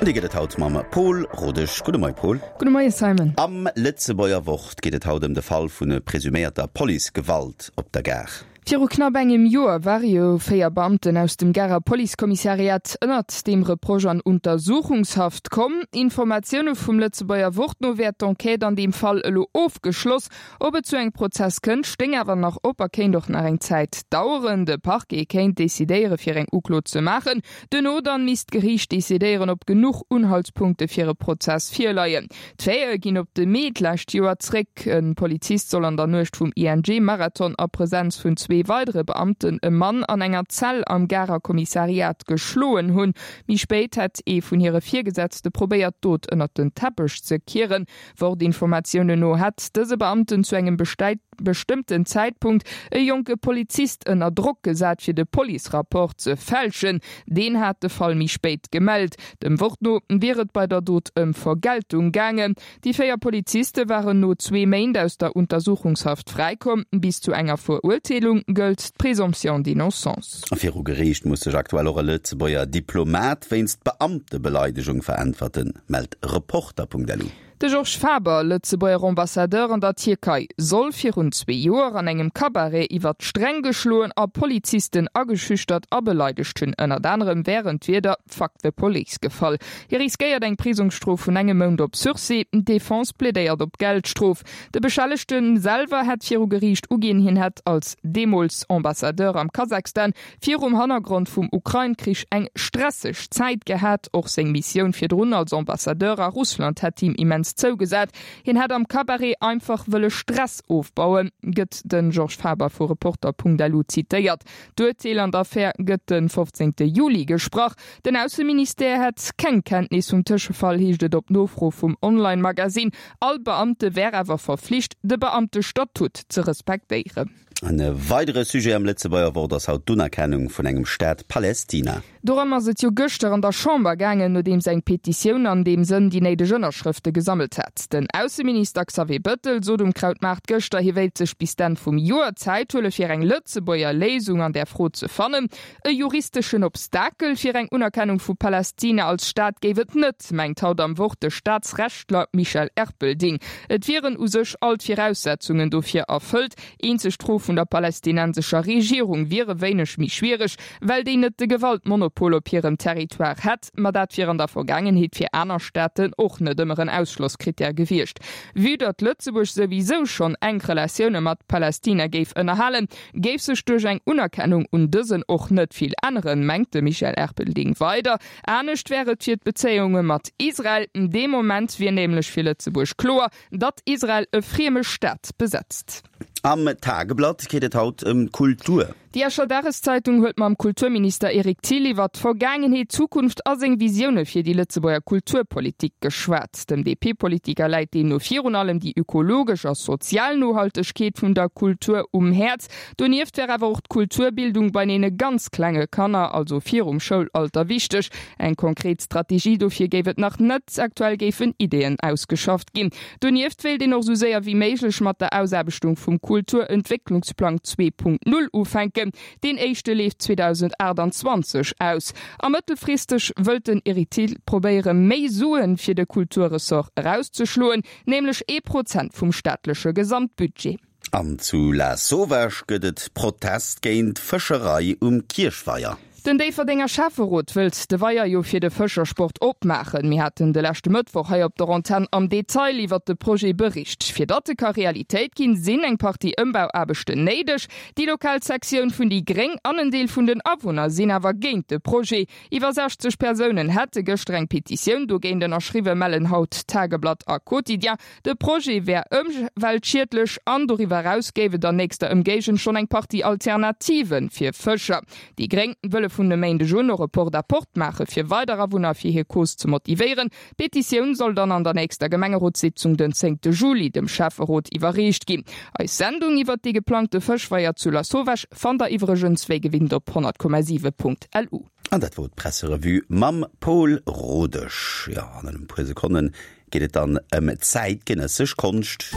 An déi gëtt et haut mam Pol Rodesch. Gudde Moie Pol. Gudde Moie Simon. Am Lëtzebuerger Wort geet et haut ëm de Fall vu presuméierter Policegewalt op der Gare. Viru knapp engem Joer ware jo 4 Beamten aus dem Garer Policekommissariat ënnert deem Reproche an Untersuchungshaft komm. Informatioune vum Lëtzebuerger Wort no wär d'Enquête an deem Fall elo ofgeschloss. Ob et zu engem Prozess kënnt, stéing awer nach op a kéint och nach eng Zäit daueren. De Parquet kéint decidéiere fir eng Uklo ze maachen. Duerno dann misst d'Geriicht decidéieren, ob genuch Unhaltspunkte fir e Prozess virleien. D'Faite ginn op de Mee d'lescht Joer zréck. E Polizist soll an der Nuecht vum ING-Marathon a Presenz vun zwee weidere Beamten e Mann an enger Zell am Garer Kommissariat geschloen hunn. Méi spéit hätt ee vun hire Virgesetzte probéiert, d'Dot ënnert den Teppech ze kieren. Wort-Informatiounen no hätt dëse Beamten zu engem bestëmmten Zäitpunkt e jonke Polizist ënner Drock gesat, fir de Police-Rapport ze fälschen. Deen hat de Fall méi spéit gemellt. Dem Wort no wier et bei der Dot ëm Vergeltung gaangen. Déi 4 Poliziste waren no zwee Méint aus der Untersuchungshaft fräikomm. Bis zu enger Verurteelung gëllt d'Présomption d'innocence. Viru Geriicht muss sech aktuell och e Lëtzebuerger Diplomat wéinst Beamtebeleidegung veräntwerten, mellt Reporter.lu. De Georges Faber, Lëtzebuerger Ambassadeur an der Tierkei, soll virun zwee Joer an engem Cabaret iwwer d'Sträng geschloen a Polizisten ageschüchtert a beleidegt hunn. Ënnert anerem wären d'Wierder Fuck the police gefall. Hie riskéiert eng Prisongsstrof vun engem Mount op Sursis. D'Defense plädéiert op Geldstrof. De Beschellegte selwer hätt viru Geriicht uginn, hien hätt als deemools Ambassadeur am Kazakhstan virum Hannergrond vum Ukrain-Krich eng stresseg Zäit gehat. Och seng Missioun virdrun als Ambassadeur a Russland hätt him immens zougesat. Hien hätt am Cabaret einfach wëlle Stress ofbauen, gëtt de Georges Faber vu Reporter.lu zitéiert. D'Urteel an der Affär gëtt de 15 Juli gesprach. Den Ausseministère hätt keng Kenntnis vum Tëschefall, heescht et op Nofro vum Online-Magasinn. All Beamte wär awer verflicht, de Beamtestatut ze respektéieren. En weidere Sujet am Lëtzebuerger Wort ass haut d'Unerkennung vun engem Staat Palästina. Dorëm ass et jo gëschter an der Chamber gaangen, nodeems eng Petitioun an deem Sënn déi néideg Ënnerschrëfte gesammelt hat. Den Ausseminister Xavier Bëttel sot um Krautmaart gëschter, hie wéilt sech bis d'Enn vum Joer Zäit huele fir eng Lëtzebuerger Léisung an där Fro ze fannen. E juristeschen Obstakel fir eng Unerkennung vu Palästina als Staat géif et net, mengt haut am Wort de Staatsrechtler Michel Erpelding. Et wieren u sech all d'Viraussetzungen dofir erfëllt. Eenzeg d'Fro vun der palästinensescher Regierung wier e wéineg méi schwiereg, well déi net de Gewaltmonopol op hirem Territoire hätt. Ma dat wier an der Vergaangenheet fir aner Staaten och net ëmmer en Ausschlosskrittär gewiescht. Vue datt Lëtzebuerg souwisou schonn enk Relatioune mat Palästina géif ënnerhalen, géif sech duerch eng Unerkennung un dësen och net vill änneren, mengt de Michel Erpelding weider. Anescht wär et fir d'Bezéiunge mat Israel. Dee Moment wier nämlech fir Lëtzebuerg kloer, datt Israel e frieme Staat besetzt. Am Tageblatt geet et haut ëm d'Kultur. Déi Escher Dageszeitung huet mam Kulturminister Eric Thill iwwer d'Vergaangenheet, d'Zukunft a seng Visioune fir déi Lëtzebuerger Kulturpolitik geschwat. Dem DP-Politiker läit deemno virun allem déi ökologesch a sozial Nohaltegkeet vun der Kultur um Häerz. Donieft wär awer och d'Kulturbildung bei deene ganz klenge Kanner, also virum Schoulalter, wichteg. Eng konkret Strategie dofir géif et nach net, aktuell géifen Ideeën ausgeschafft ginn. Donieft wéilt een och sou séier wéi méiglech mat der Ausaarbechtung vum Kulturentwécklungsplang 2.0 ufänken. Deen éischte leeft 2028 aus. A mëttelfristeg wëllt den Eric Thill probéiere méi Sue fir de Kulturressort erauszeschloen, nämlech ee Prozent vum staatleche Gesamtbudget. An zu Lasauvage gëtt et Protest géint d'Fëscherei um Kierchweier. Den Déifferdenger Schäfferot wëllt de Weier jo fir de Fëschersport opmaachen. Mir haten de leschte Mëttwoch hei op der Antenn am Detail iwwert de Projet bericht. Fir datt e ka Realitéit ginn, sinn eng Partie Ëmbauaarbechten néideg. Déi lokal Sektioun vun déi Gréng an en Deel vun den Awunner sinn awer géint de Projet. Iwwer 60 Persounen hätte gëschter eng Petitioun dogéint ënnerschriwwen, mellen haut Tageblatt a Quotidien. De Projet wär ëmweltschiedlech an doriwwer eraus géif et an nächster Ëmgéigend schonn eng Partie Alternative fir Fëscher. Déi Gréng wëlle vun e Méindeg un och e Porte-à-porte maache fir weider Awunner fir hir Cause ze motivéieren. D'Petitioun soll dann an der nächster Gemengerotssitzung den zéngte Juli dem Schäfferot iwwerreecht ginn. Eis Sendung iwwert dee geplangte Fëschweier zu Lasauvage fannt der iwwregens wéi gewinnt op 100,7.lu. An dat wor d'Presserevue mam Pol Rodesch. Jo, an en puer Sekonnen geet et dann ëm zäitgenëssesch Konscht.